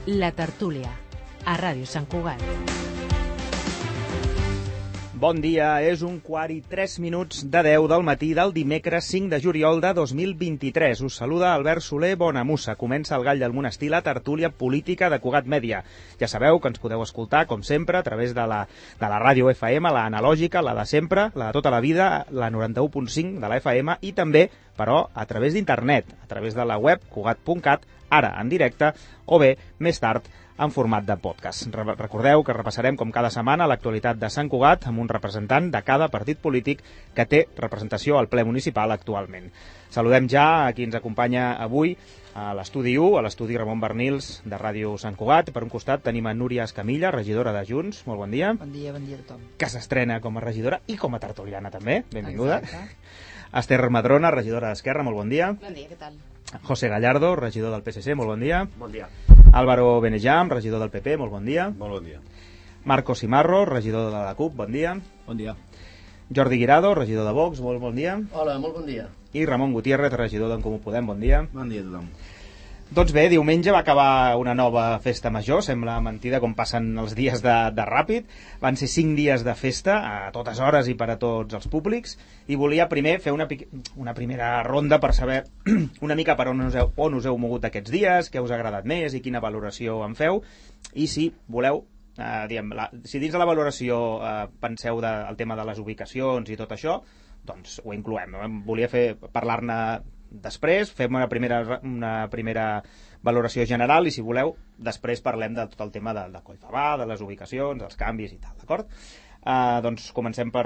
La Tertúlia, a Ràdio Sant Cugat. Bon dia, és 1:03 de 10 del matí del dimecres 5 de juliol de 2023. Us saluda Albert Soler Bonamussa. Comença el Gall del Monestir, la tertúlia política de Cugat Mèdia. Ja sabeu que ens podeu escoltar, com sempre, a través de la ràdio FM, la analògica, la de sempre, la de tota la vida, la 91.5 de la FM, i també, però, a través d'internet, a través de la web cugat.cat, ara en directe, o bé, més tard, en format de podcast. Recordeu que repassarem com cada setmana l'actualitat de Sant Cugat amb un representant de cada partit polític que té representació al ple municipal actualment. Saludem ja a qui ens acompanya avui a l'estudi 1, a l'estudi Ramon Bernils de Ràdio Sant Cugat. Per un costat tenim a Núria Escamilla, regidora de Junts. Molt bon dia. Bon dia a tothom. Que s'estrena com a regidora i com a tertuliana també. Benvinguda. Exacte. Esther Madrona, regidora d'Esquerra. Molt bon dia. Bon dia, què tal? José Gallardo, regidor del PSC. Molt bon dia. Bon dia. Álvaro Benejam, regidor del PP, molt bon dia. Molt bon dia. Marcos Cimarro, regidor de la CUP, bon dia. Bon dia. Jordi Guirado, regidor de Vox, molt bon dia. Hola, molt bon dia. I Ramon Gutiérrez, regidor d'en Comú Podem, bon dia. Bon dia a tothom. Doncs bé, diumenge va acabar una nova festa major, sembla mentida com passen els dies de ràpid. Van ser 5 dies de festa, a totes hores i per a tots els públics, i volia primer fer una primera ronda per saber una mica per on us heu mogut aquests dies, què us ha agradat més i quina valoració en feu, i si voleu, si dins de la valoració penseu del tema de les ubicacions i tot això, doncs ho incloem. Volia parlar-ne després, fem una primera valoració general i, si voleu, després parlem de tot el tema de Collfabà, de les ubicacions, dels canvis i tal, d'acord? Doncs comencem per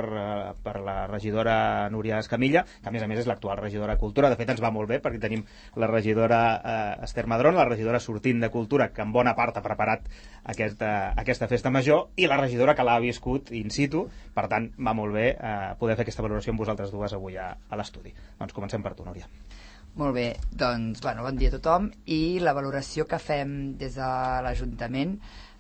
la regidora Núria Escamilla, que a més és l'actual regidora de Cultura. De fet, ens va molt bé perquè tenim la regidora Esther Madrona, la regidora sortint de Cultura, que en bona part ha preparat aquesta festa major, i la regidora que l'ha viscut in situ. Per tant, va molt bé poder fer aquesta valoració amb vosaltres dues avui a l'estudi. Doncs comencem per tu, Núria. Molt bé, doncs, bon dia a tothom. I la valoració que fem des de l'Ajuntament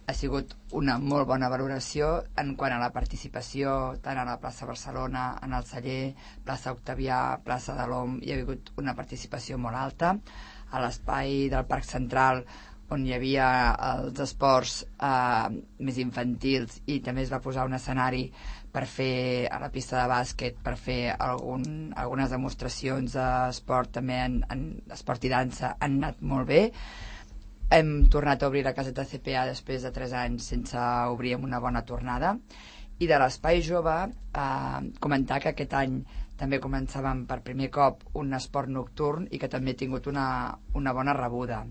ha sigut una molt bona valoració en quant a la participació tant a la plaça Barcelona, en el Celler, plaça Octavià, plaça de l'Om. Hi ha hagut una participació molt alta. A l'espai del Parc Central, on hi havia els esports més infantils, i també es va posar un escenari per fer a la pista de bàsquet, per fer algunes demostracions d'esport, també en esport i dansa, han anat molt bé. Hem tornat a obrir la caseta CPA després de 3 anys sense obrir, amb una bona tornada. I de l'espai jove, comentar que aquest any també començàvem per primer cop un esport nocturn i que també ha tingut una bona rebuda.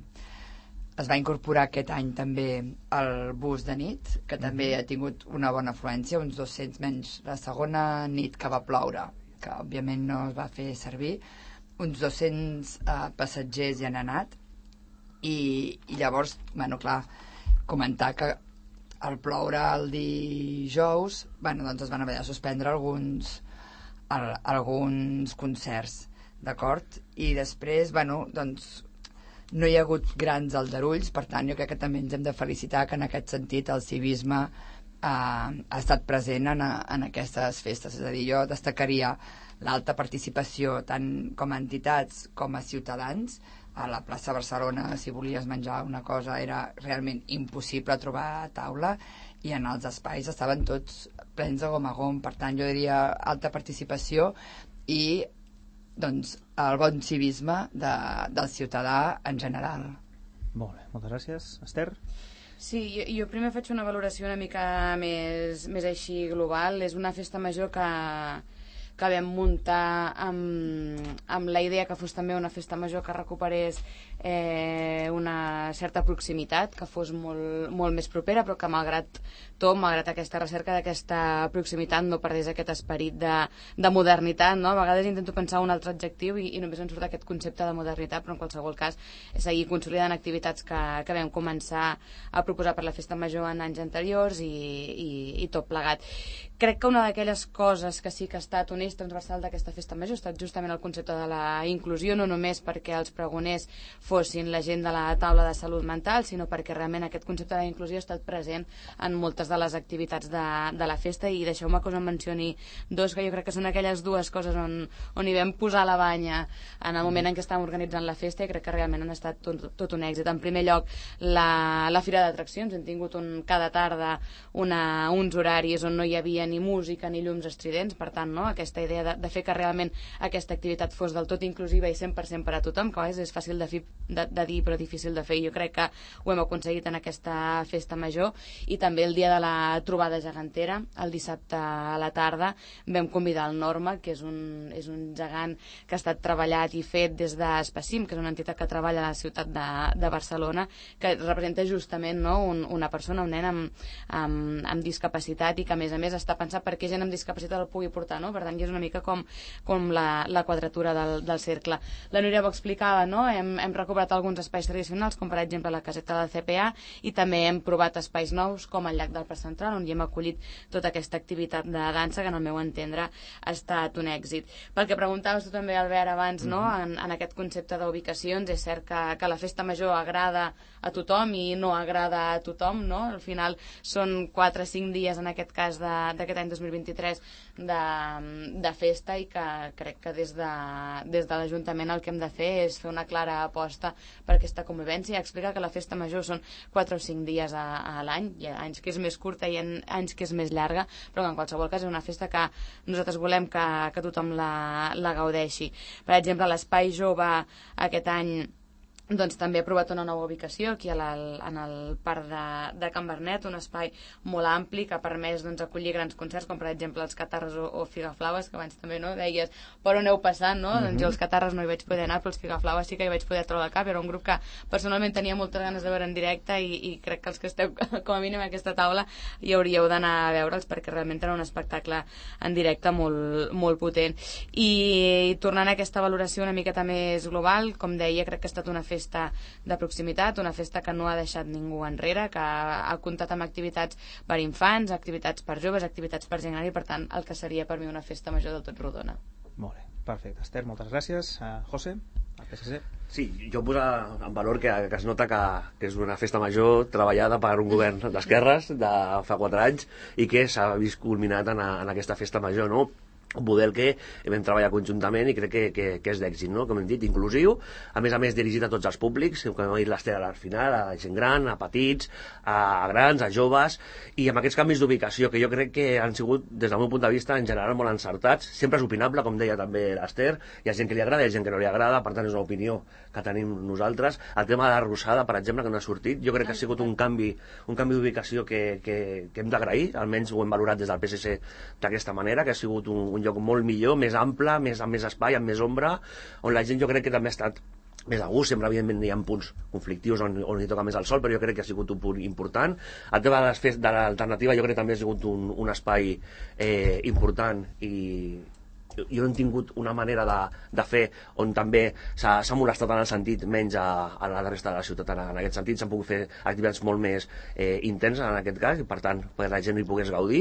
Es va incorporar aquest any també el bus de nit, que també ha tingut una bona afluència, uns 200 menys la segona nit que va ploure, que òbviament no es va fer servir. Uns 200 passatgers hi han anat. I llavors, clar, comentar que al ploure el dijous, doncs es van haver de suspendre alguns concerts, d'acord? I després, doncs no hi ha hagut grans aldarulls, per tant jo crec que també ens hem de felicitar que en aquest sentit el civisme ha estat present en aquestes festes. És a dir, jo destacaria l'alta participació tant com a entitats com a ciutadans. A la plaça Barcelona, si volies menjar una cosa, era realment impossible trobar taula, i en els espais estaven tots plens de gom a gom. Per tant, jo diria alta participació i doncs el bon civisme del ciutadà en general. Molt bé, moltes gràcies. Esther? Sí, jo primer faig una valoració una mica més així global. És una festa major que vam muntar amb la idea que fos també una festa major que recuperés una certa proximitat, que fos molt més propera, però que malgrat tot, malgrat aquesta recerca d'aquesta proximitat, no perdés aquest esperit de modernitat, no? A vegades intento pensar un altre adjectiu i només em surt aquest concepte de modernitat, però en qualsevol cas és seguir consolidant activitats que vam començar a proposar per la festa major en anys anteriors i tot plegat. Crec que una d'aquelles coses que sí que ha estat un eix transversal d'aquesta festa major ha estat justament el concepte de la inclusió, no només perquè els pregoners fossin la gent de la taula de salut mental, sinó perquè realment aquest concepte de la inclusió ha estat present en moltes de les activitats de la festa, i deixeu-me que us en mencioni dos que jo crec que són aquelles dues coses on hi vam posar la banya en el moment en què estàvem organitzant la festa, i crec que realment han estat tot un èxit. En primer lloc, la Fira d'Atraccions. Hem tingut cada tarda uns horaris on no hi havia ni música ni llums estridents, per tant, no? Aquesta idea de fer que realment aquesta activitat fos del tot inclusiva i 100% per a tothom, que és fàcil de dir però difícil de fer, i jo crec que ho hem aconseguit en aquesta festa major. I també el dia de la trobada gegantera, el dissabte a la tarda, vam convidar el Norma, que és un gegant que ha estat treballat i fet des d'Espacim, que és una entitat que treballa a la ciutat de Barcelona, que representa justament, no, una persona, un nen amb discapacitat, i que a més està pensat perquè gent amb discapacitat el pugui portar, no? Per tant, és una mica com la quadratura del cercle. La Núria ho explicava, no? Hem recuperat alguns espais tradicionals, com per exemple la caseta del CPA, i també hem provat espais nous com el llac del Parc Central, on hi hem acollit tota aquesta activitat de dansa, que en el meu entendre ha estat un èxit. Pel que preguntaves tu també, Albert, abans, no? En aquest concepte d'ubicacions, és cert que la festa major agrada a tothom i no agrada a tothom, no? Al final són 4 o 5 dies, en aquest cas d'aquest any 2023, de festa, i que crec que des de l'Ajuntament el que hem de fer és fer una clara aposta per aquesta convivència, i explicar que la festa major són 4 o 5 dies a l'any. Hi ha anys que és més curta i anys que és més llarga, però que en qualsevol cas és una festa que nosaltres volem que tothom la gaudeixi. Per exemple, l'Espai Jove aquest any doncs també ha aprovat una nova ubicació aquí en el parc de Can Bernet, un espai molt ampli que ha permès acollir grans concerts, com per exemple els Catarres o Figaflaues, que abans també deies per on heu passat, no? Doncs jo els Catarres no hi vaig poder anar, però els Figaflaues sí que hi vaig poder trobar al cap. Era un grup que personalment tenia moltes ganes de veure en directe, i crec que els que esteu com a mínim a aquesta taula hi hauríeu d'anar a veure'ls, perquè realment era un espectacle en directe molt, molt potent. I tornant a aquesta valoració una miqueta més global, com deia, crec que ha estat una festa de proximitat, una festa que no ha deixat ningú enrere, que ha comptat amb activitats per infants, activitats per joves, activitats per gent gran, i per tant el que seria per mi una festa major del tot rodona. Molt bé, perfecte. Esther, moltes gràcies. José, al PSC. Sí, jo posa en valor que es nota que és una festa major treballada per un govern d'esquerres de fa 4 anys i que s'ha vist culminat en aquesta festa major, no? Un model que vam treballar conjuntament i crec que és d'èxit, no? Com hem dit, inclusiu, a més dirigit a tots els públics, com ha dit l'Ester al final, a gent gran, a petits, a grans, a joves, i amb aquests canvis d'ubicació que jo crec que han sigut, des del meu punt de vista, en general molt encertats. Sempre és opinable, com deia també l'Ester, hi ha gent que li agrada, hi ha gent que no li agrada, per tant és una opinió que tenim nosaltres. El tema de la Rosada, per exemple, que no ha sortit, jo crec que ha sigut un canvi d'ubicació que hem d'agrair, almenys ho hem valorat des del PSC d'aquesta manera, que ha sigut un lloc molt millor, més ample, amb més espai, amb més ombra, on la gent jo crec que també ha estat més a gust. Sempre evidentment hi ha punts conflictius on hi toca més el sol, però jo crec que ha sigut un punt important. El tema de l'alternativa jo crec que també ha sigut un espai important, i jo no he tingut una manera de fer on també s'ha molestat en el sentit menys a la resta de la ciutat. En aquest sentit s'han pogut fer activitats molt més intenses en aquest cas, i per tant perquè la gent hi pogués gaudir,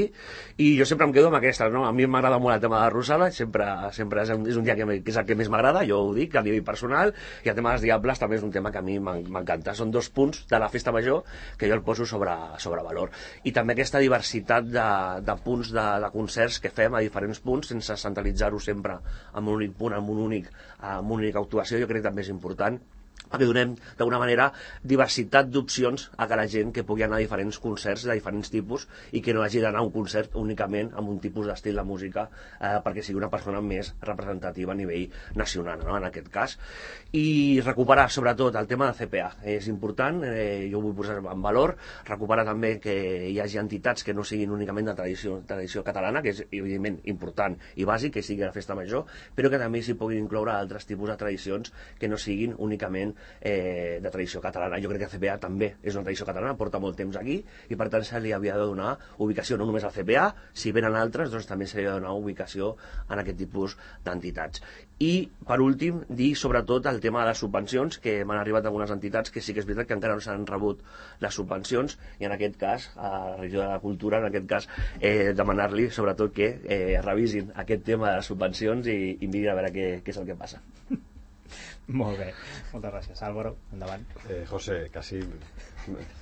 i jo sempre em quedo amb aquesta, no? A mi m'agrada molt el tema de la Rosada, sempre és un dia que és el que més m'agrada, jo ho dic a nivell personal, i el tema dels Diables també és un tema que a mi m'encanta. Són 2 punts de la festa major que jo el poso sobre valor, i també aquesta diversitat de punts de concerts que fem a diferents punts sense centralitzar sempre en un únic punt, en una única actuació. Jo crec que també és important perquè donem d'alguna manera diversitat d'opcions a cada gent que pugui anar a diferents concerts de diferents tipus, i que no hagi d'anar a un concert únicament amb un tipus d'estil de música, perquè sigui una persona més representativa a nivell nacional, no? En aquest cas. I recuperar sobretot el tema de CPA és important, jo ho vull posar en valor, recuperar també que hi hagi entitats que no siguin únicament de tradició catalana, que és evidentment important i bàsic que sigui la festa major, però que també s'hi puguin incloure altres tipus de tradicions que no siguin únicament clarament de tradició catalana. Jo crec que el CPA també és una tradició catalana, porta molt temps aquí, i per tant se li havia de donar ubicació no només al CPA, si venen altres, doncs també se li ha de donar ubicació en aquest tipus d'entitats. I, per últim, dir sobretot el tema de les subvencions, que m'han arribat algunes entitats que sí que és veritat que encara no s'han rebut les subvencions, i en aquest cas, a la regió de la cultura, en aquest cas, demanar-li sobretot que revisin aquest tema de les subvencions i mirin a veure què és el que passa. Molt bé, moltes gràcies. Álvaro, endavant. José, casi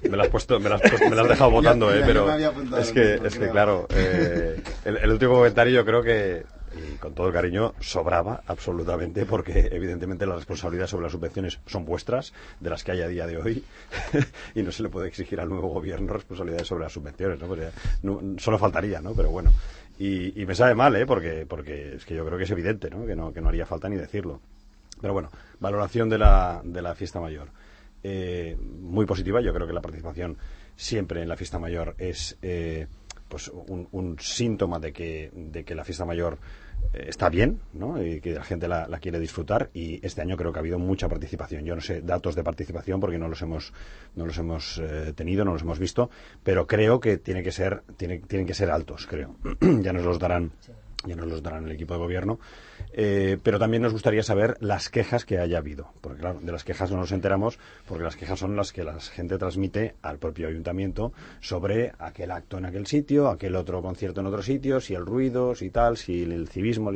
me lo has dejado votando, pero es que claro, el último comentario yo creo que, y con todo el cariño, sobraba absolutamente, porque evidentemente las responsabilidades sobre las subvenciones son vuestras, de las que hay a día de hoy, y no se le puede exigir al nuevo gobierno responsabilidades sobre las subvenciones, ¿no? Pues solo faltaría, ¿no? Pero bueno, y me sabe mal, porque es que yo creo que es evidente, ¿no? Que no haría falta ni decirlo. Pero bueno, valoración de la fiesta mayor. Muy positiva. Yo creo que la participación siempre en la fiesta mayor es pues un síntoma de que la fiesta mayor está bien, ¿no? Y que la gente la quiere disfrutar, y este año creo que ha habido mucha participación. Yo no sé datos de participación porque no los hemos tenido, no los hemos visto, pero creo que tienen que ser altos, creo. Ya nos los darán el equipo de gobierno, pero también nos gustaría saber las quejas que haya habido, porque claro, de las quejas no nos enteramos, porque las quejas son las que la gente transmite al propio ayuntamiento sobre aquel acto en aquel sitio, aquel otro concierto en otro sitio, si el ruido, si tal, si el civismo,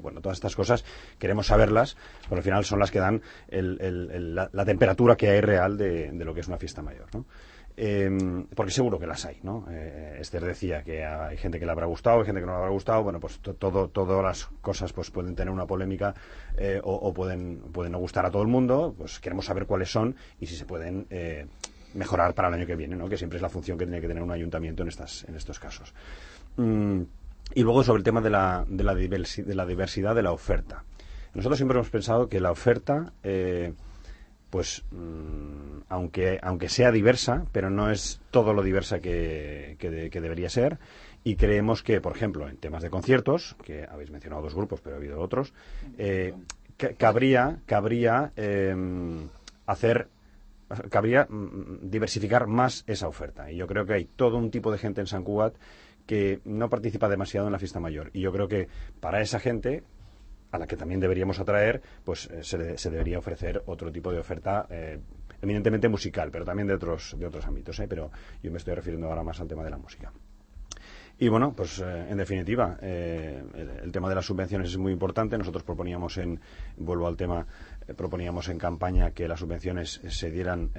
bueno, todas estas cosas queremos saberlas, porque al final son las que dan la temperatura que hay real de lo que es una fiesta mayor, ¿no? Porque seguro que las hay, ¿no? Esther decía que hay gente que le habrá gustado, hay gente que no le habrá gustado. Bueno, pues todas las cosas pues pueden tener una polémica, o pueden no gustar a todo el mundo. Pues queremos saber cuáles son y si se pueden mejorar para el año que viene, ¿no? Que siempre es la función que tiene que tener un ayuntamiento en estos casos. Y luego sobre el tema de la diversidad de la oferta. Nosotros siempre hemos pensado que la oferta pues aunque sea diversa, pero no es todo lo diversa que debería ser, y creemos que, por ejemplo, en temas de conciertos, que habéis mencionado dos grupos, pero ha habido otros, cabría diversificar más esa oferta, y yo creo que hay todo un tipo de gente en Sant Cugat que no participa demasiado en la fiesta mayor, y yo creo que para esa gente, a la que también deberíamos atraer, pues se debería ofrecer otro tipo de oferta, eminentemente musical, pero también de otros ámbitos, pero yo me estoy refiriendo ahora más al tema de la música. Y bueno, pues en definitiva, el tema de las subvenciones es muy importante. Nosotros proponíamos proponíamos en campaña que las subvenciones se dieran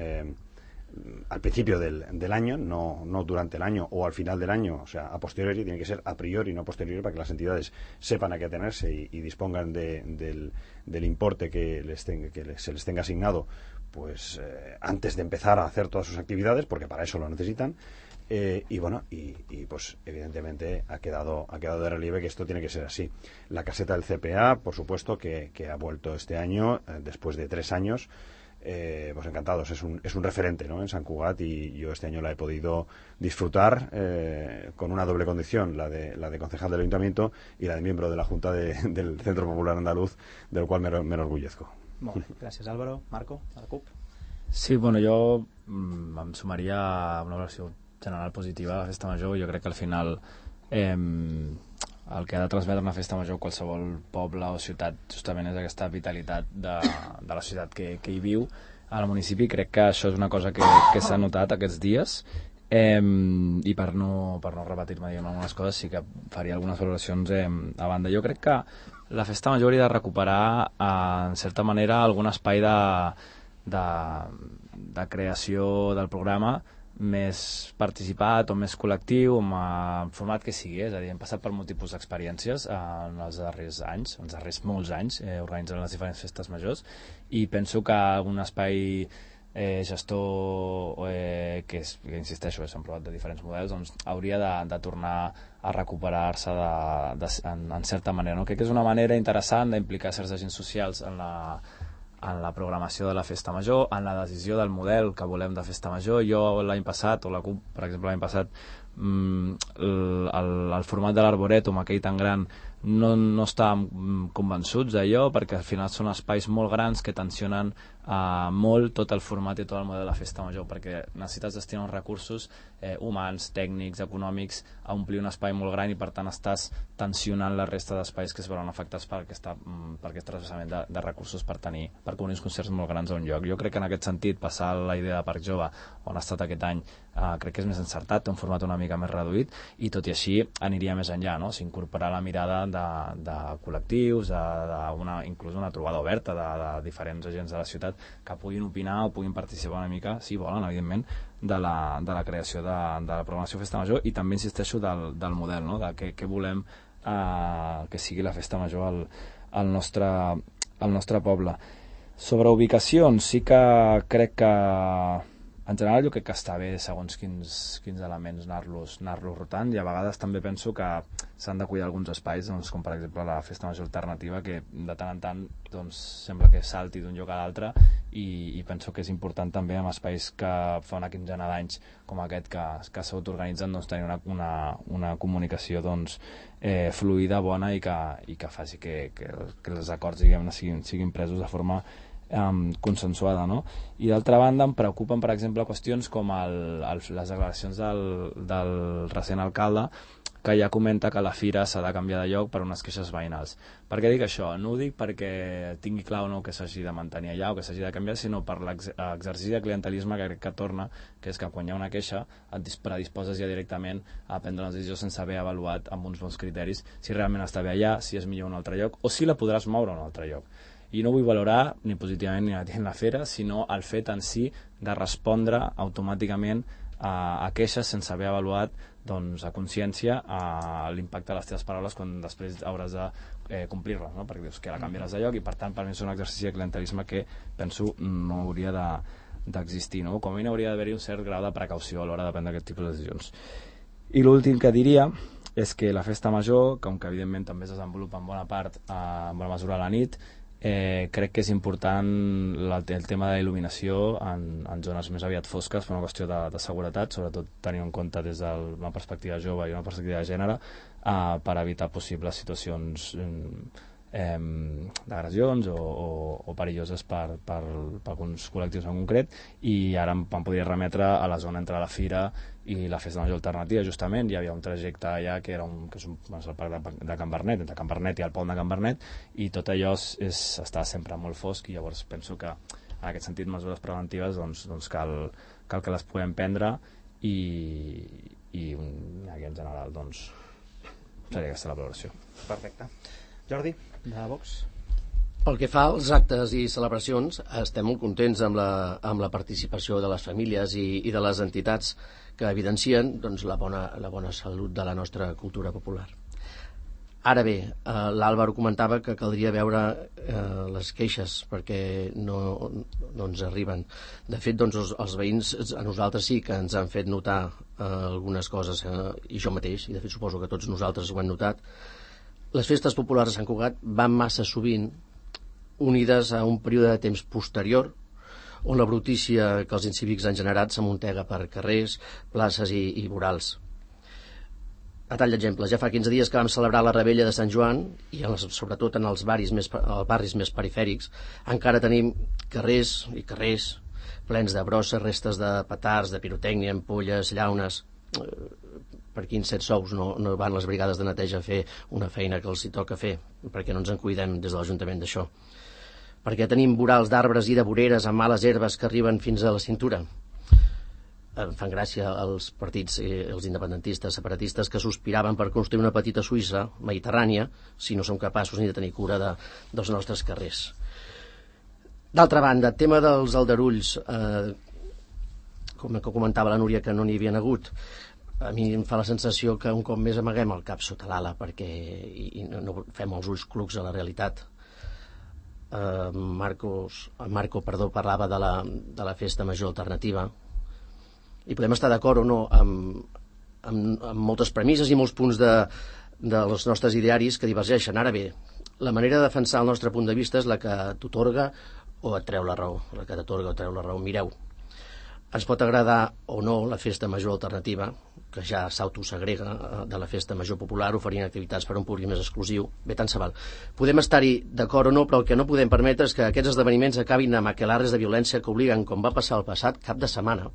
al principio del año, no durante el año o al final del año, o sea, a posteriori. Tiene que ser a priori, no a posteriori, para que las entidades sepan a qué atenerse y dispongan del importe que se les tenga asignado, pues antes de empezar a hacer todas sus actividades, porque para eso lo necesitan. Y bueno, y pues evidentemente ha quedado de relieve que esto tiene que ser así. La caseta del CPA, por supuesto, que ha vuelto este año, después de 3 años. Pues encantados, es un referente, ¿no?, en Sant Cugat, y yo este año la he podido disfrutar con una doble condición, la de concejal del ayuntamiento y la de miembro de la Junta del Centro Popular Andaluz, del cual me enorgullezco. Molt bé, gràcies Álvaro. Marco, a la CUP. Sí, bueno, jo em sumaria a una valoració general positiva de la festa major. Jo crec que al final el que ha de transmetre una festa major a qualsevol poble o ciutat justament és aquesta vitalitat de la ciutat que hi viu al municipi. Crec que això és una cosa que s'ha notat aquests dies, i per no repetir-me, diguem, algunes coses, sí que faria algunes valoracions a banda. Jo crec que la festa major hauria de recuperar en certa manera algun espai de creació del programa més participat o més col·lectiu, amb el format que sigui, és a dir, hem passat per molts tipus d'experiències en els darrers molts anys, organitzant les diferents festes majors, i penso que un espai gestor que insisteixo, s'han provat de diferents models, doncs hauria de tornar a recuperar-se en certa manera, no? Crec que és una manera interessant d'implicar certs agents socials en la programació de la festa major, en la decisió del model que volem de festa major. Jo l'any passat, o la CUP, per exemple, l'any passat, el format de l'Arborètum, aquell tan gran, no estàvem convençuts d'allò, perquè al final són espais molt grans que tensionen molt tot el format i tot el model de la festa major, perquè necessites destinar uns recursos humans, tècnics, econòmics a omplir un espai molt gran, i per tant estàs tensionant la resta d'espais que es veuen afectats per aquest trasbassament de recursos per cobrir uns concerts molt grans a un lloc. Jo crec que en aquest sentit passar la idea de Parc Jove, on ha estat aquest any, crec que és més encertat, té un format una mica més reduït, i tot i així aniria més enllà, no? S'incorporarà la mirada de col·lectius, inclús una trobada oberta de diferents agents de la ciutat que puguin opinar o puguin participar una mica, si volen, evidentment, de la creació de la programació Festa Major, i també insisteixo del model, no? De què volem que sigui la Festa Major al nostre poble. Sobre ubicacions, sí que crec que en general jo crec que està bé segons quins elements anar-los rotant, i a vegades també penso que s'han de cuidar alguns espais, doncs, com per exemple la Festa Major alternativa, que de tant en tant doncs, sembla que salti d'un lloc a l'altre, i penso que és important també en espais que fa una quinzena d'anys com aquest que s'autoorganitzen, doncs, tenir una comunicació doncs, fluida, bona, i que faci que els acords, diguem-ne, siguin presos de forma consensuada, no? I d'altra banda em preocupen, per exemple, qüestions com les declaracions del recent alcalde, que ja comenta que la fira s'ha de canviar de lloc per unes queixes veïnals. Per què dic això? No ho dic perquè tingui clar o no que s'hagi de mantenir allà o que s'hagi de canviar, sinó per l'exercici de clientelisme que crec que torna, que és que quan hi ha una queixa et predisposes ja directament a prendre una decisió sense haver avaluat amb uns bons criteris si realment està bé allà, si és millor un altre lloc o si la podràs moure a un altre lloc. I no vull valorar ni positivament ni negativament la fira, sinó el fet en si de respondre automàticament a queixes sense haver avaluat doncs, a consciència l'impacte de les teves paraules quan després hauràs de complir-les, no? Perquè dius que la canviaràs de lloc, i per tant per mi és un exercici de clientelisme que penso no hauria d'existir, no? Com a mínim hauria d'haver-hi un cert grau de precaució a l'hora de prendre aquest tipus de decisions. I l'últim que diria és que la Festa Major, com que evidentment també es desenvolupa en bona part en bona mesura a la nit, crec que és important el tema de la il·luminació en zones més aviat fosques per una qüestió de seguretat, sobretot tenint en compte des d'una perspectiva jove i una perspectiva de gènere, per evitar possibles situacions d'agressions o perilloses per alguns col·lectius en concret. I ara em podria remetre a la zona entre la Fira i la Festa Major alternativa. Justament hi havia un trajecte allà que és el parc de Can Bernet, entre Can Bernet i el pont de Can Bernet, i tot allò està sempre molt fosc, i llavors penso que en aquest sentit mesures preventives doncs cal que les puguem prendre, i aquí en general doncs seria aquesta la valoració. Perfecte. Jordi, de Vox? Pel que fa als actes i celebracions, estem molt contents amb la participació de les famílies i de les entitats que evidencien doncs, la bona salut de la nostra cultura popular. Ara bé, l'Àlvaro comentava que caldria veure les queixes perquè no ens arriben. De fet, doncs, els veïns a nosaltres sí que ens han fet notar algunes coses, i jo mateix, i de fet suposo que tots nosaltres ho hem notat. Les festes populars de Sant Cugat van massa sovint unides a un període de temps posterior on la brutícia que els incívics han generat s'amuntega per carrers, places i vorals. A tall d'exemple, ja fa 15 dies que vam celebrar la Rebella de Sant Joan i sobretot en els barris més perifèrics encara tenim carrers i carrers plens de brosses, restes de petards, de pirotècnia, ampolles, llaunes. Per quins 7 sous no van les brigades de neteja a fer una feina que els hi toca fer, perquè no ens en cuidem des de l'Ajuntament d'això, perquè tenim vorals d'arbres i de voreres amb males herbes que arriben fins a la cintura. Em fan gràcia els partits, els independentistes, separatistes, que sospiraven per construir una petita Suïssa mediterrània si no som capaços ni de tenir cura dels nostres carrers. D'altra banda, el tema dels aldarulls, com comentava la Núria, que no n'hi havia hagut, a mi em fa la sensació que un cop més amaguem el cap sota l'ala i no fem els ulls clucs a la realitat. Marco parlava de la Festa Major alternativa, i podem estar d'acord o no amb moltes premisses i molts punts dels nostres idearis que divergeixen. Ara bé, la manera de defensar el nostre punt de vista és la que t'atorga o et treu la raó. La que t'atorga o treu la raó. Mireu, Ens pot agradar o no la festa major alternativa, que ja s'autosegrega de la festa major popular oferint activitats per a un públic més exclusiu. Bé, tant se val. Podem estar-hi d'acord o no, però el que no podem permetre és que aquests esdeveniments acabin amb aquelarres de violència que obliguen, com va passar el passat cap de setmana,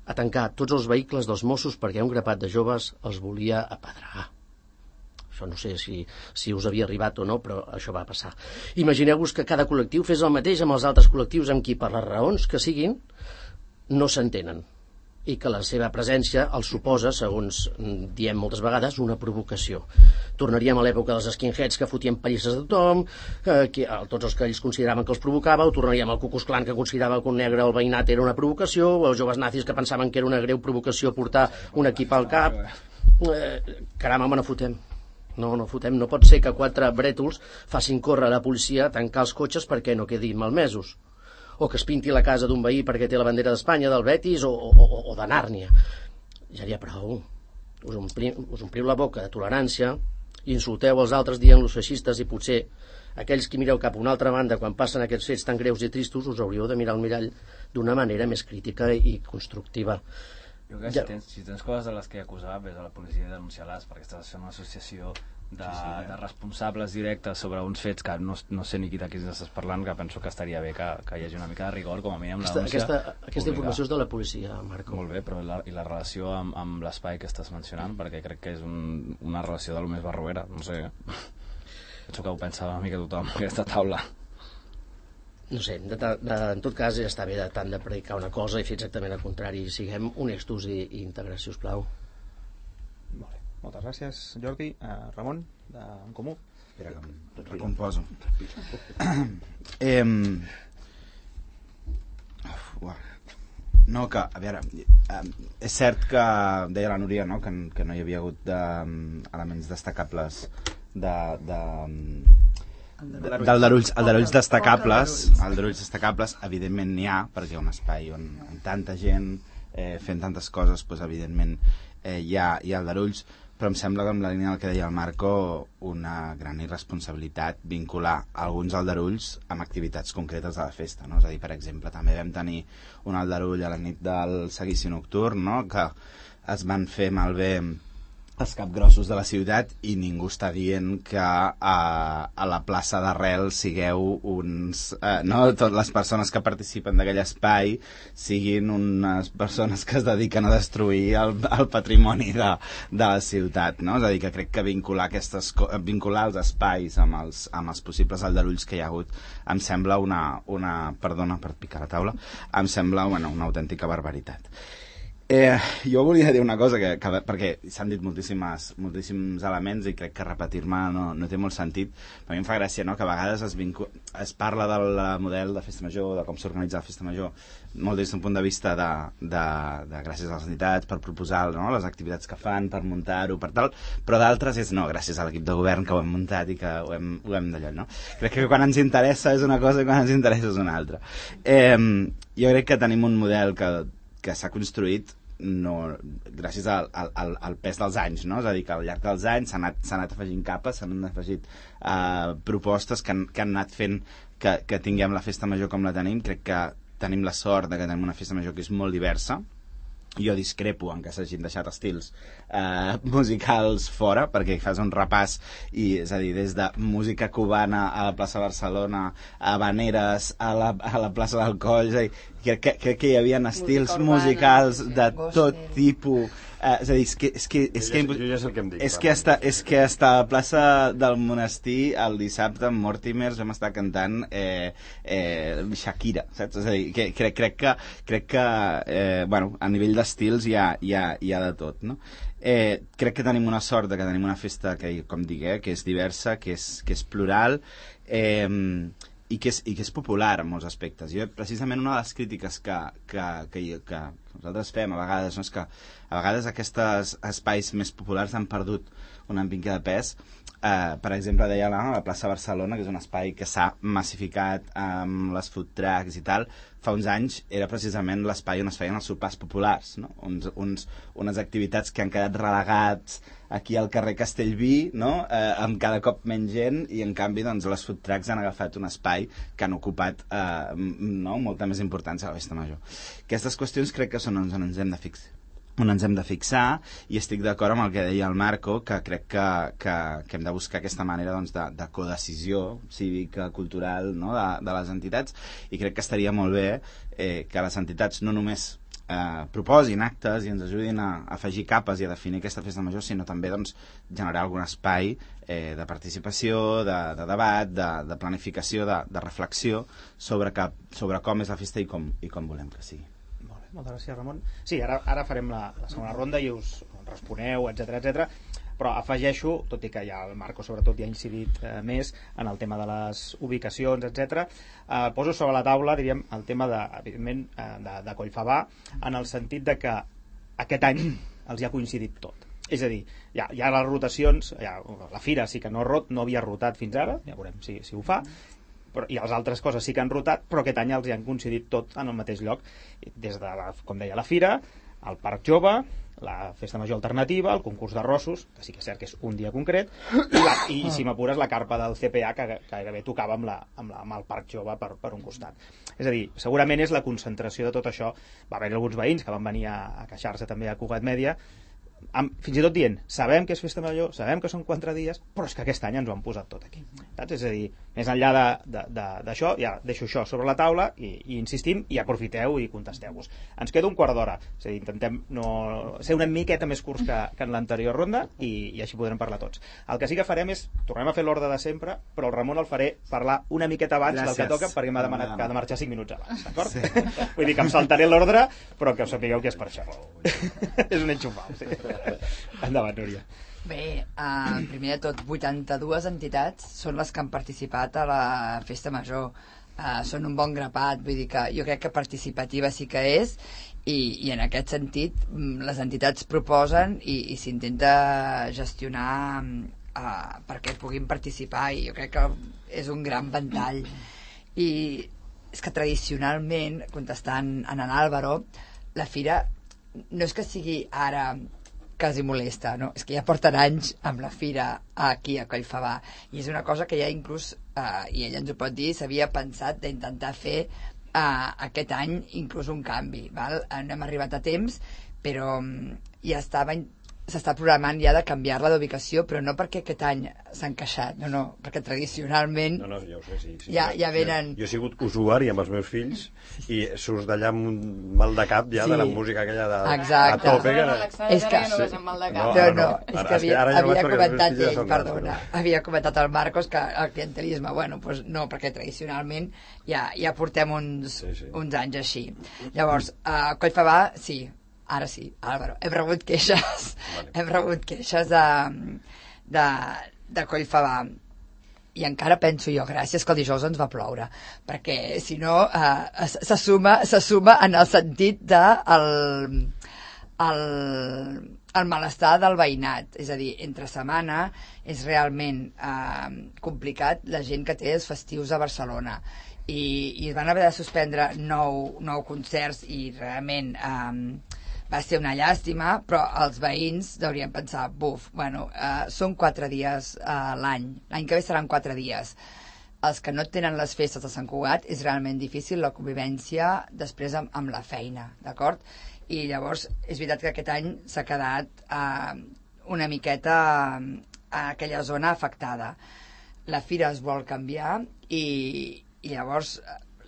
a tancar tots els vehicles dels Mossos perquè un grapat de joves els volia apedregar. Això no sé si us havia arribat o no, però això va passar. Imagineu-vos que cada col·lectiu fes el mateix amb els altres col·lectius amb qui, per les raons que siguin, no s'entenen, i que la seva presència els suposa, segons diem moltes vegades, una provocació. Tornaríem a l'època dels skinheads que fotien pallisses a tothom, tots els que ells consideraven que els provocava, o tornaríem al Ku Klux Klan que considerava que un negre al veïnat era una provocació, o els joves nazis que pensaven que era una greu provocació portar un equip al cap. Caram, home, no fotem. No fotem. No pot ser que 4 brètols facin córrer a la policia a tancar els cotxes perquè no quedin malmesos, o que es pinti la casa d'un veí perquè té la bandera d'Espanya, del Betis o de Nàrnia. Ja n'hi ha prou. Us ompliu la boca de tolerància i insulteu els altres dient-los feixistes, i potser aquells que mireu cap a una altra banda quan passen aquests fets tan greus i tristos us hauríeu de mirar al mirall d'una manera més crítica i constructiva. Jo crec que si tens coses de les que acusar, ves a la policia i denunciar-les, perquè estàs fent una associació de responsables directes sobre uns fets que no sé ni de qui estàs parlant, que penso que estaria bé que hi hagi una mica de rigor, com a mínim la denúncia. Aquesta informació és de la policia, Marco. Molt bé, però i la relació amb l'espai que estàs mencionant, perquè crec que és una relació de lo més barroera, no sé. Penso que ho pensa una mica tothom en aquesta taula. No sé, en tot cas ja està bé tant de predicar una cosa i fer exactament el contrari. Siguem honestos i íntegres, si us plau. Molt bé. Moltes gràcies, Jordi. Ramon, d'En Comú. Espera que em recomposo. No, que, a veure, és cert que deia la Núria, no?, que no hi havia hagut elements destacables d'aldarulls destacables, evidentment n'hi ha, perquè un espai on tanta gent fent tantes coses, doncs evidentment hi ha aldarulls, però em sembla que amb la línia del que deia el Marco, una gran irresponsabilitat vincular alguns aldarulls amb activitats concretes de la festa, no? És a dir, per exemple, també vam tenir un aldarull a la nit del seguici nocturn, no?, que es van fer malbé els capgrossos de la ciutat i ningú està dient que a la plaça d'Arrel sigueu uns... no, totes les persones que participen d'aquell espai siguin unes persones que es dediquen a destruir el patrimoni de la ciutat, no? És a dir, que crec que vincular els espais amb els possibles aldarulls que hi ha hagut em sembla perdona per picar la taula, em sembla una autèntica barbaritat. Jo volia dir una cosa perquè s'han dit moltíssims elements i crec que repetir-me no té molt sentit, però a mi em fa gràcia, no?, que a vegades es parla del model de festa major, de com s'organitza la festa major, molt des d'un punt de vista de gràcies a les entitats per proposar, no?, les activitats que fan, per muntar-ho, per tal, però d'altres és no, gràcies a l'equip de govern que ho hem muntat i que ho hem d'allò, no? Crec que quan ens interessa és una cosa i quan ens interessa és una altra. Jo crec que tenim un model que s'ha construït gràcies al pes dels anys, no? És a dir, que al llarg dels anys s'han anat afegint capes, s'han afegit propostes que han anat fent que tinguem la festa major com la tenim. Crec que tenim la sort de que tenim una festa major que és molt diversa. Jo discrepo en que s'hagin deixat estils musicals fora, perquè fas un repàs i, és a dir, des de música cubana a la plaça Barcelona, a habaneres a la plaça del Coll, crec que hi havia estils musicals de tot tipus, és a dir, és que hasta a la plaça del Monestir el dissabte amb Mortimer vam estar cantant Shakira, saps? És a dir, crec que bueno, a nivell d'estils hi ha de tot, no? Crec que tenim una sort de que tenim una festa que, com dic, que és diversa, que és plural, i que és popular en molts aspectes. Jo, precisament, una de les crítiques que nosaltres fem a vegades, no? És que a vegades aquests espais més populars han perdut una mica de pes. Per exemple, deia la plaça Barcelona, que és un espai que s'ha massificat amb les food trucks i tal. Fa uns anys era precisament l'espai on es feien els sopars populars, no? Unes activitats que han quedat relegats aquí al carrer Castellví, no? Amb cada cop menys gent, i en canvi doncs, les food trucks han agafat un espai que han ocupat molta més importància a la festa major. Aquestes qüestions crec que són on ens hem de fixar, i estic d'acord amb el que deia el Marco, que crec que hem de buscar aquesta manera doncs, de codecisió cívica, cultural, no? de les entitats, i crec que estaria molt bé que les entitats no només proposin actes i ens ajudin a afegir capes i a definir aquesta festa major, sinó també doncs, generar algun espai de participació, de debat, de planificació, de reflexió sobre com és la festa i com volem que sigui. Moltes gràcies, Ramon. Sí, ara farem la segona ronda i us responeu, etc. Però afegeixo, tot i que ja el Marco sobretot ja ha incidit més en el tema de les ubicacions, etc. Poso sobre la taula, diríem, el tema evidentment de Collfabà, en el sentit de que aquest any els hi ha coincidit tot. És a dir, hi ha les rotacions, la Fira sí que no havia rotat fins ara, ja veurem si ho fa, i les altres coses sí que han rotat, però aquest any els hi han coincidit tot en el mateix lloc, des de, com deia, la Fira, el Parc Jove, la Festa Major Alternativa, el concurs d'arrossos, que sí que és cert que és un dia concret, i si m'apures, la carpa del CPA, que gairebé tocava amb el Parc Jove per un costat. És a dir, segurament és la concentració de tot això. Va haver alguns veïns que van venir a queixar-se també a Cugat Mèdia, fins i tot dient, sabem que és festa major, sabem que són 4 dies, però és que aquest any ens ho han posat tot aquí. Saps? És a dir, més enllà d'això, ja deixo això sobre la taula i insistim, i aprofiteu i contesteu-vos. Ens queda un quart d'hora, és a dir, intentem ser una miqueta més curts que en l'anterior ronda, i així podrem parlar tots. El que sí que farem és, tornem a fer l'ordre de sempre, però el Ramon el faré parlar una miqueta abans del que toca, perquè m'ha demanat que ha de marxar 5 minuts abans, d'acord? Sí. Vull dir que em saltaré l'ordre, però que us sapigueu que és per això. És un enxufau, sí. Endavant, Núria. Bé, primer de tot, 82 entitats són les que han participat a la Festa Major. Són un bon grapat, vull dir que jo crec que participativa sí que és, i en aquest sentit les entitats proposen i s'intenta gestionar perquè puguin participar, i jo crec que és un gran ventall. I és que tradicionalment, contestant a en Álvaro, la Fira no és que sigui ara quasi molesta, no? És que ja porten anys amb la Fira aquí a Collfabà, i és una cosa que ja inclús, i ella ens ho pot dir, s'havia pensat d'intentar fer aquest any inclús un canvi, val? No hem arribat a temps, però ja s'està programant ja de canviar-la d'ubicació, però no perquè aquest any s'han queixat, no, perquè tradicionalment no, ja ho sé, sí. Ja venen... Jo he sigut usuari amb els meus fills i surts d'allà amb un mal de cap ja, de la música aquella a tope. És que... No, és que havia comentat ell, perdona, havia comentat el Marcos que el clientelisme, bueno, doncs no, perquè tradicionalment ja portem uns anys així. Llavors, a Collfabà, sí, ara sí, Álvaro, hem rebut queixes de Collfabà, i encara penso jo, gràcies que el dijous ens va ploure, perquè si no se suma en el sentit de el malestar del veïnat, és a dir, entre setmana és realment complicat la gent que té els festius a Barcelona, i van haver de suspendre 9 concerts, i realment va ser una llàstima, però els veïns deurien pensar, són 4 dies l'any que ve seran 4 dies. Els que no tenen les festes de Sant Cugat és realment difícil la convivència després amb la feina, d'acord? I llavors és veritat que aquest any s'ha quedat una miqueta a aquella zona afectada. La Fira es vol canviar i llavors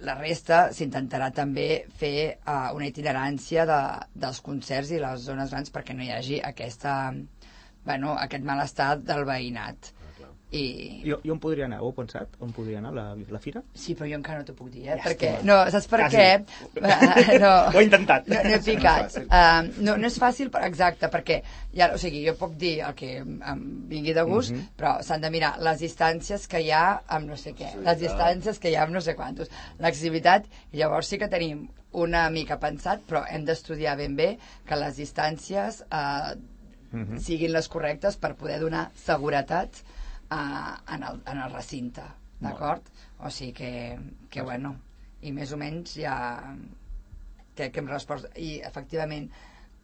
la resta s'intentarà també fer una itinerància dels concerts i les zones grans perquè no hi hagi aquest malestar del veïnat. I on podria anar? Ho heu pensat? On podria anar la fira? Sí, però jo encara no t'ho puc dir, Ja perquè... estic. No, saps per què? No. Ho he intentat. No he picat. No és fàcil, exacte, perquè o sigui, jo puc dir el que em vingui de gust, però s'han de mirar les distàncies que hi ha amb no sé què, les distàncies que hi ha amb no sé quantos, l'activitat, i llavors sí que tenim una mica pensat, però hem d'estudiar ben bé que les distàncies siguin les correctes per poder donar seguretat en el recinte, d'acord? O sigui que bueno, i més o menys ja que hem respost. I efectivament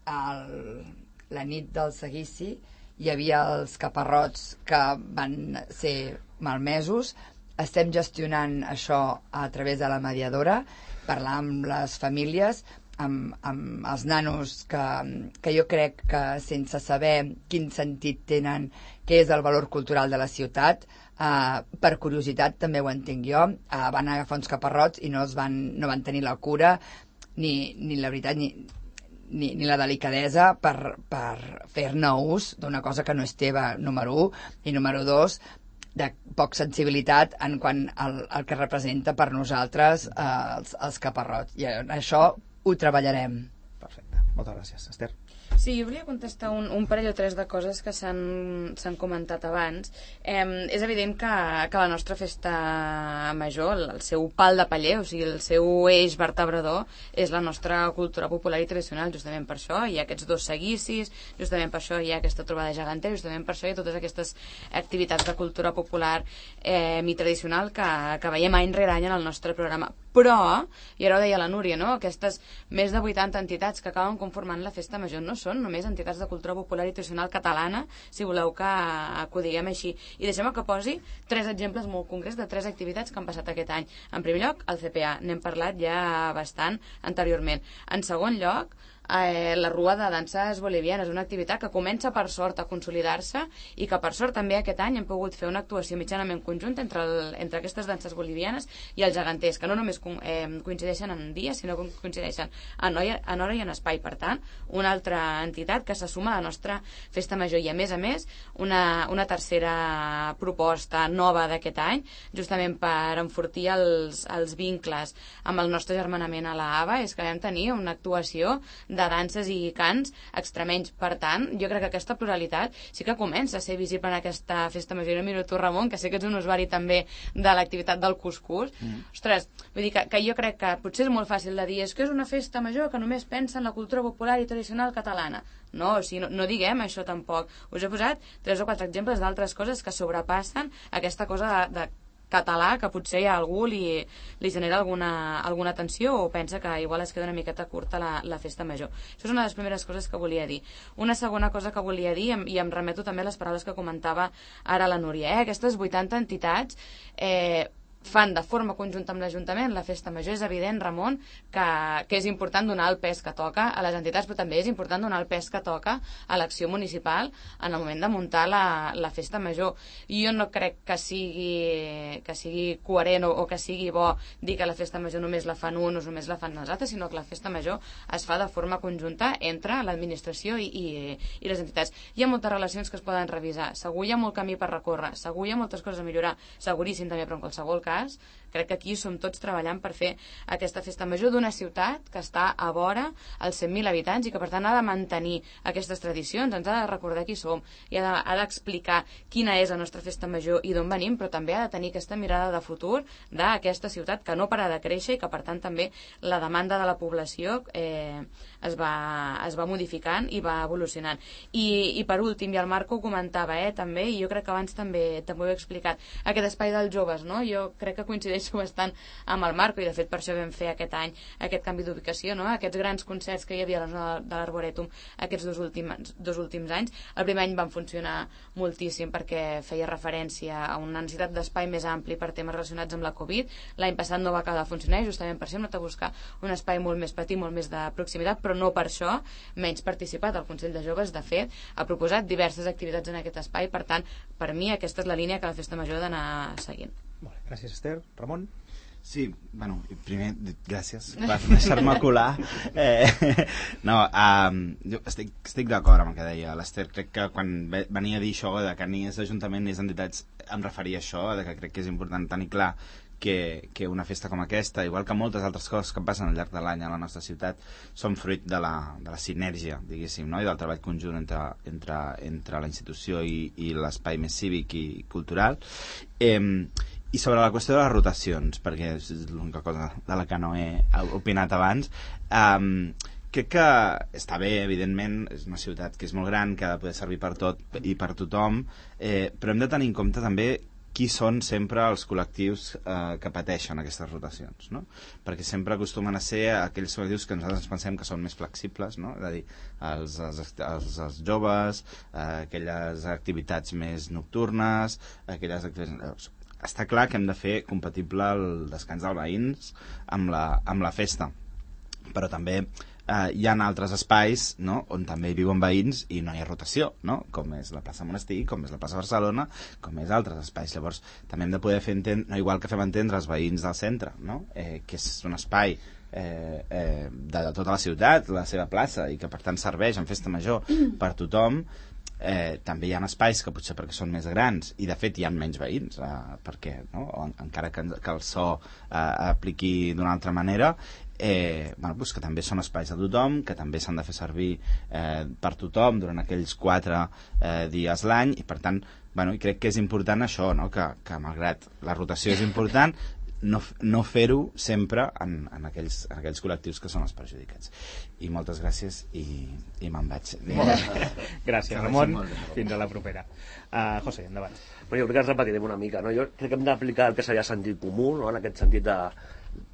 la nit del seguici hi havia els caparrots que van ser malmesos. Estem gestionant això a través de la mediadora, parlar amb les famílies, amb els nanos que jo crec que sense saber quin sentit tenen, què és el valor cultural de la ciutat, per curiositat també ho entenc jo, van agafar uns caparrots i no van tenir la cura ni la veritat ni la delicadesa per fer-ne ús d'una cosa que no és teva, número 1, i número 2, de poc sensibilitat en quant al que representa per nosaltres els caparrots. I això ho treballarem. Perfecte. Moltes gràcies. Esther? Sí, jo volia contestar un parell o tres de coses que s'han comentat abans. És evident que la nostra festa major, el seu pal de paller, o sigui, el seu eix vertebrador, és la nostra cultura popular i tradicional. Justament per això hi ha aquests 2 seguicis, justament per això hi ha aquesta trobada gegantera, justament per això hi ha totes aquestes activitats de cultura popular i tradicional que veiem any rere any en el nostre programa. Però, i ara ho deia la Núria, no? Aquestes més de 80 entitats que acaben conformant la festa major no són només entitats de cultura popular i tradicional catalana, si voleu que ho diguem així. I deixem-me que posi 3 exemples molt concrets de 3 activitats que han passat aquest any. En primer lloc, el CPA, n'hem parlat ja bastant anteriorment. En segon lloc, la Rua de Danses Bolivianes, una activitat que comença per sort a consolidar-se i que per sort també aquest any hem pogut fer una actuació mitjanament conjunta entre aquestes danses bolivianes i els geganters, que no només coincideixen en dia, sinó que coincideixen en hora i en espai. Per tant, una altra entitat que se suma a la nostra festa major. I a més, una tercera proposta nova d'aquest any, justament per enfortir els vincles amb el nostre germanament a la AVA, és que vam tenir una actuació de danses i cants extremenys. Per tant, jo crec que aquesta pluralitat sí que comença a ser visible en aquesta festa major. Miro tu, Ramon, que sé que ets un usuari també de l'activitat del cuscús. Ostres, vull dir que jo crec que potser és molt fàcil de dir és que és una festa major que només pensa en la cultura popular i tradicional catalana. No, o sigui, no diguem això tampoc. Us he posat 3 o 4 exemples d'altres coses que sobrepassen aquesta cosa de català, que potser a algú li genera alguna tensió o pensa que igual es queda una miqueta curta la festa major. Això és una de les primeres coses que volia dir. Una segona cosa que volia dir, i em remeto també a les paraules que comentava ara la Núria, aquestes 80 entitats fan de forma conjunta amb l'Ajuntament la festa major. És evident, Ramon, que és important donar el pes que toca a les entitats, però també és important donar el pes que toca a l'acció municipal en el moment de muntar la festa major. Jo no crec que sigui coherent o que sigui bo dir que la festa major només la fan uns o només la fan els altres, sinó que la festa major es fa de forma conjunta entre l'administració i les entitats. Hi ha moltes relacions que es poden revisar, segur hi ha molt camí per recórrer, segur hi ha moltes coses a millorar, seguríssim també, però en qualsevol cas crec que aquí som tots treballant per fer aquesta festa major d'una ciutat que està a vora els 100.000 habitants i que per tant ha de mantenir aquestes tradicions, ens ha de recordar qui som i ha d'explicar quina és la nostra festa major i d'on venim, però també ha de tenir aquesta mirada de futur d'aquesta ciutat que no para de créixer i que per tant també la demanda de la població es va modificant i va evolucionant. I per últim, i el Marco ho comentava també, i jo crec que abans també ho he explicat, aquest espai dels joves, no? Jo crec que coincideixo bastant amb el Marco i de fet per això vam fer aquest any aquest canvi d'ubicació, no? Aquests grans concerts que hi havia a la zona de l'Arborètum aquests dos últims anys. El primer any van funcionar moltíssim perquè feia referència a una necessitat d'espai més ampli per temes relacionats amb la Covid. L'any passat no va acabar de funcionar i justament per això hem anat a buscar un espai molt més petit, molt més de proximitat, però no per això menys participat. El Consell de Joves, de fet, ha proposat diverses activitats en aquest espai. Per tant, per mi aquesta és la línia que la festa major ha d'anar seguint. Molt bé, gràcies, Esther. Ramon? Sí, bueno, primer, gràcies per deixar-me colar. Jo estic d'acord amb el que deia l'Ester. Crec que quan venia a dir això de que ni és l'Ajuntament ni és entitats, em referia a això, de que crec que és important tenir clar que una festa com aquesta, igual que moltes altres coses que passen al llarg de l'any a la nostra ciutat, són fruit de la sinergia, diguéssim, no? I del treball conjunt entre la institució i l'espai més cívic i cultural. I sobre la qüestió de les rotacions, perquè és l'única cosa de la que no he opinat abans, crec que està bé, evidentment, és una ciutat que és molt gran, que ha de poder servir per tot i per tothom, però hem de tenir en compte també qui són sempre els col·lectius que pateixen aquestes rotacions, no? Perquè sempre acostumen a ser aquells col·lectius que nosaltres pensem que són més flexibles, no? És a dir, els joves, aquelles activitats més nocturnes, aquelles activitats... Està clar que hem de fer compatible el descans dels veïns amb la festa, però també hi ha altres espais, no?, on també hi viuen veïns i no hi ha rotació, no?, com és la plaça Monestir, com és la plaça Barcelona, com és altres espais. Llavors també hem de poder fer entendre, no, igual que fem entendre els veïns del centre, no?, que és un espai de tota la ciutat, la seva plaça, i que per tant serveix en festa major per tothom. També hi ha espais que potser perquè són més grans i de fet hi ha menys veïns perquè, no? Encara que el so apliqui d'una altra manera, que també són espais de tothom, que també s'han de fer servir per tothom durant aquells 4 dies l'any, i per tant i crec que és important això, no? que malgrat la rotació és important, no fer-ho sempre en aquells col·lectius que són els perjudicats. I moltes gràcies i me'n vaig. Gràcies, Ramon. Fins a la propera. José, endavant. Jo crec que ens repetirem una mica, no? Jo crec que hem d'aplicar el que seria sentit comú, no? En aquest sentit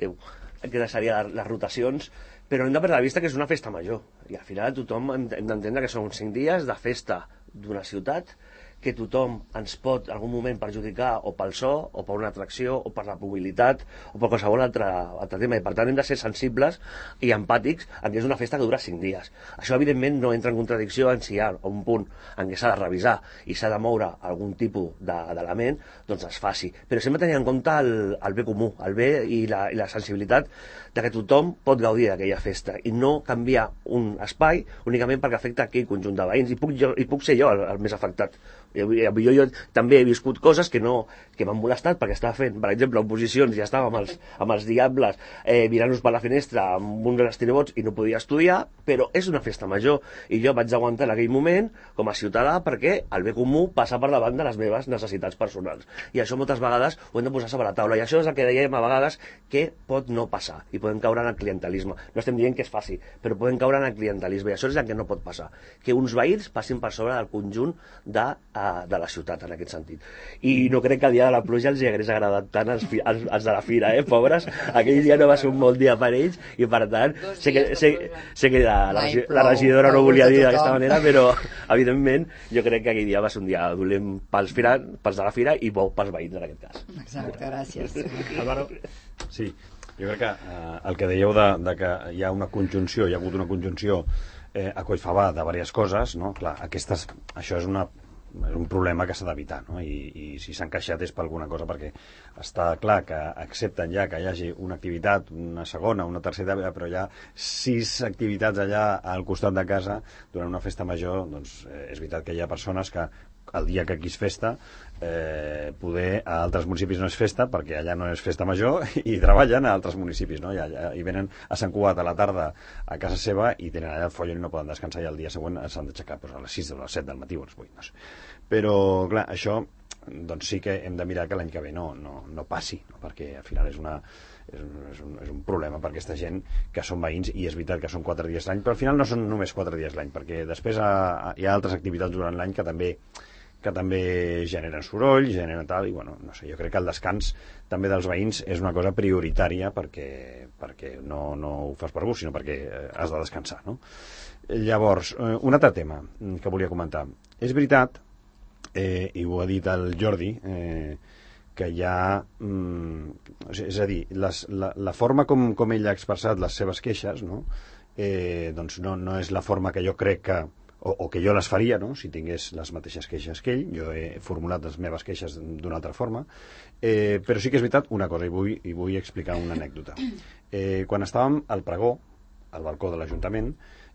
que seria les rotacions, però hem de perdre de vista que és una festa major, i al final tothom hem d'entendre que són 5 dies de festa d'una ciutat, que tothom ens pot en algun moment perjudicar o pel so, o per una atracció, o per la mobilitat, o per qualsevol altre tema, i per tant hem de ser sensibles i empàtics en que és una festa que dura 5 dies. Això evidentment no entra en contradicció en si hi ha un punt en què s'ha de revisar i s'ha de moure algun tipus d'element, doncs es faci. Però sempre tenint en compte el bé comú, el bé i la sensibilitat de que tothom pot gaudir d'aquella festa i no canviar un espai únicament perquè afecta aquell conjunt de veïns, i puc ser jo el més afectat. Jo també he viscut coses que m'han molestat perquè estava fent, per exemple, oposicions, ja estava amb els diables mirant-nos per la finestra amb uns estirebots i no podia estudiar, però és una festa major i jo vaig aguantar en aquell moment com a ciutadà perquè el bé comú passa per davant de les meves necessitats personals, i això moltes vegades ho hem de posar sobre la taula, i això és el que dèiem a vegades que pot no passar i podem caure en el clientelisme. No estem dient que es faci, però podem caure en el clientelisme, i això és el que no pot passar, que uns veïns passin per sobre del conjunt de la ciutat en aquest sentit. I no crec que el dia de la pluja els hagués agradat tant als de la fira, pobres. Aquell dia no va ser un bon dia per ells, i per tant sé que la regidora no volia dir d'aquesta manera, però evidentment jo crec que aquell dia va ser un dia dolent pels de la fira i bo pels veïns en aquest cas. Exacte, gràcies. Álvaro? Sí, jo crec que el que dèieu de que hi ha una conjunció, hi ha hagut una conjunció a collfavar de diverses coses, no? Clar, això és un problema que s'ha d'evitar, no? I si s'han queixat és per alguna cosa, perquè està clar que accepten ja que hi hagi una activitat, una segona, una tercera, però hi ha 6 activitats allà al costat de casa durant una festa major. Doncs és veritat que hi ha persones que el dia que aquí és festa poder a altres municipis no és festa perquè allà no és festa major i treballen a altres municipis, no? I venen a Sant Cugat a la tarda a casa seva i tenen allà el follon i no poden descansar, i el dia següent s'han d'aixecar a les 6 o les 7 del matí o les 8, no sé. Però clar, això doncs sí que hem de mirar que l'any que ve no passi, no? Perquè al final és un problema per aquesta gent que són veïns, i és veritat que són 4 dies l'any, però al final no són només 4 dies l'any, perquè després hi ha altres activitats durant l'any que també generen soroll, generen tal, i bueno, no sé, jo crec que el descans també dels veïns és una cosa prioritària perquè no ho fas per gust, sinó perquè has de descansar, no? Llavors, un altre tema que volia comentar. És veritat, i ho ha dit el Jordi, que hi ha... és a dir, la forma com ell ha expressat les seves queixes, no? Doncs no és la forma que jo crec que o que jo les faria, no?, si tingués les mateixes queixes que ell. Jo he formulat les meves queixes d'una altra forma, però sí que és veritat una cosa, i vull explicar una anècdota. Quan estàvem al pregó, al balcó de l'Ajuntament,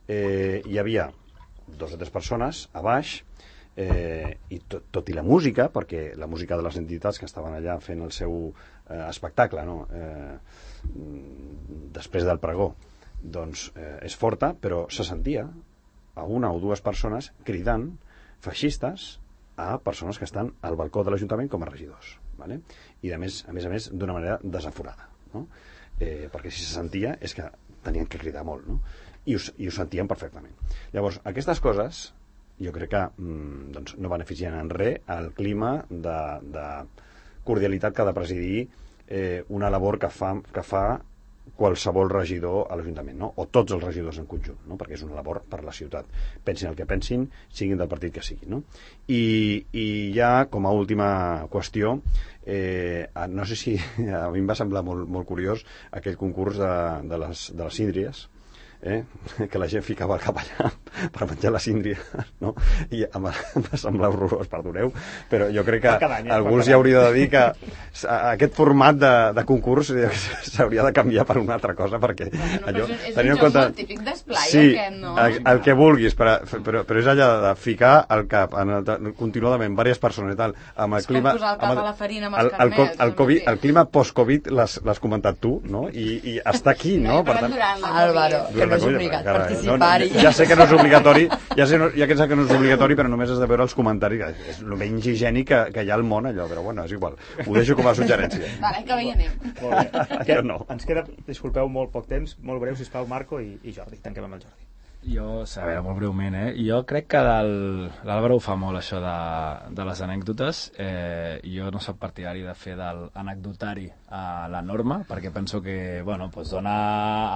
hi havia 2 o 3 persones a baix, i tot i la música, perquè la música de les entitats que estaven allà fent el seu espectacle, no?, després del pregó, doncs és forta, però se sentia a 1 o 2 persones cridant feixistes a persones que estan al balcó de l'Ajuntament com a regidors, ¿vale? I a més d'una manera desaforada, no? Perquè si se sentia és que tenien que cridar molt, no? I ho sentien perfectament. Llavors, aquestes coses jo crec que doncs, no beneficien en res el clima de cordialitat que ha de presidir una labor que fa qualsevol regidor a l'Ajuntament, no? O tots els regidors en conjunt, no? Perquè és una labor per la ciutat. Pensin el que pensin, siguin del partit que siguin, no? I ja, com a última qüestió, no sé si a mi em va semblar molt curiós aquell concurs de les síndries, que la gent ficava el cap allà per menjar la síndria, no? I em va semblar horrorós, perdoneu, però jo crec que algú els hauria de dir que aquest format de concurs s'hauria de canviar per una altra cosa, perquè allò... És un joc molt típic d'esplai, sí, aquest, no? el que vulguis, però és allà de ficar el cap continuadament, diverses persones i tal, amb el clima... És com posar el cap a la farina amb els carnets. El clima post-Covid l'has comentat tu, no? I està aquí, no? Per tant, Álvaro, que no és obligat participar-hi. Ja sé que no és obligatori, ja sé que no és obligatori, però només has de veure els comentaris, que és el menys higiènic que hi ha al món, allò, però bueno, és igual. Ho deixo com a suggerència. Vale, que bé hi anem. Molt bé. No. Ens queda, disculpeu, molt poc temps, molt breu, sisplau, Marco i Jordi. Tanquem amb el Jordi. Jo, a veure, molt breument, jo crec que l'Àlvaro ho fa molt, això de les anècdotes. Jo no soc partidari de fer de l'anecdotari a la norma, perquè penso que, bueno, doncs dona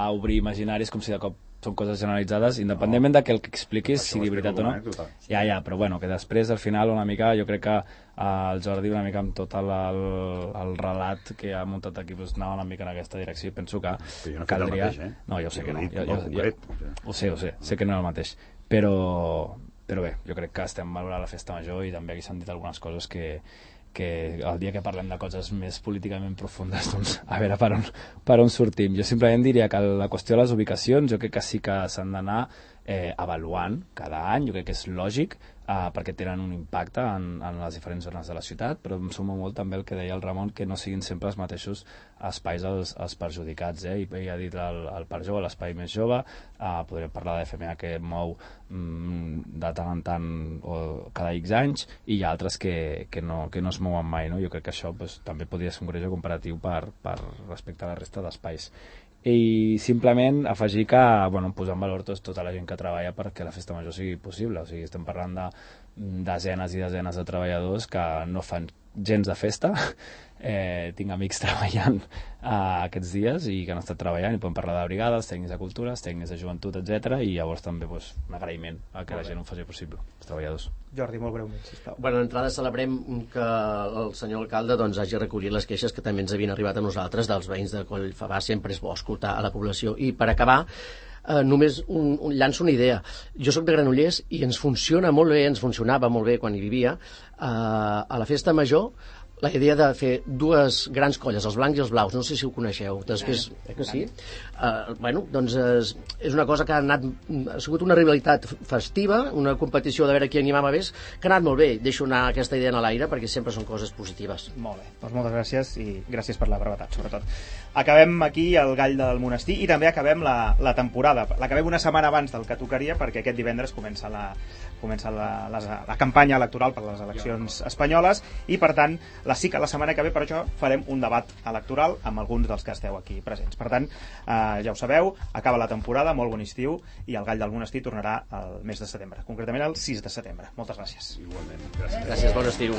a obrir imaginaris com si de cop són coses generalitzades, independentment de que el que expliquis sigui veritat o no. Ja, però bueno, que després, al final, una mica, jo crec que el Jordi, una mica amb tot el relat que ha muntat aquí, doncs anava una mica en aquesta direcció, i penso que caldria... No, jo sé que no. Ho sé que no és el mateix. Però bé, jo crec que estem valorant la festa major i també aquí s'han dit algunes coses que el dia que parlem de coses més políticament profundes, doncs a veure per on sortim. Jo simplement diria que la qüestió de les ubicacions jo crec que sí que s'han d'anar avaluant cada any, jo crec que és lògic, perquè tenen un impacte en les diferents zones de la ciutat, però em suma molt també el que deia el Ramon, que no siguin sempre els mateixos espais els perjudicats, i ja ha dit el Parc Jove, l'espai més jove, podríem parlar de FMA que mou de tant en tant o cada X anys, i hi ha altres que no es mouen mai, no? Jo crec que això també podria ser un greuge comparatiu per respecte a la resta d'espais. I simplement afegir que posar en valor tota la gent que treballa perquè la festa major sigui possible. O sigui, estem parlant de desenes i desenes de treballadors que no fan gens de festa. Tinc amics treballant aquests dies i que han estat treballant, i podem parlar de brigades, tècnics de cultura, tècnics de joventut, etc. I llavors també un agraïment a que la gent ho faci possible, els treballadors. Jordi, molt breument, sisplau. Bueno, d'entrada celebrem que el senyor alcalde hagi recollit les queixes que també ens havien arribat a nosaltres dels veïns de Collfabà. Sempre és bo escoltar a la població. I per acabar, només llanço una idea. Jo sóc de Granollers i ens funciona molt bé, ens funcionava molt bé quan hi vivia, a la festa major, la idea de fer 2 grans colles, els blancs i els blaus. No sé si ho coneixeu. Després, que sí? Doncs és una cosa que ha sigut una rivalitat festiva, una competició de veure qui animava més, que ha anat molt bé. Deixo anar aquesta idea en l'aire perquè sempre són coses positives. Molt bé, doncs moltes gràcies, i gràcies per la brevetat, sobretot. Acabem aquí el Gall del Monestir i també acabem la temporada. L'acabem una setmana abans del que tocaria, perquè aquest divendres comença la campanya electoral per les eleccions espanyoles, i per tant sí que la setmana que ve per això farem un debat electoral amb alguns dels que esteu aquí presents. Per tant, ja ho sabeu, acaba la temporada, molt bon estiu, i el Gall del Monestir tornarà el mes de setembre, concretament el 6 de setembre. Moltes gràcies. Igualment. Gràcies, bon estiu.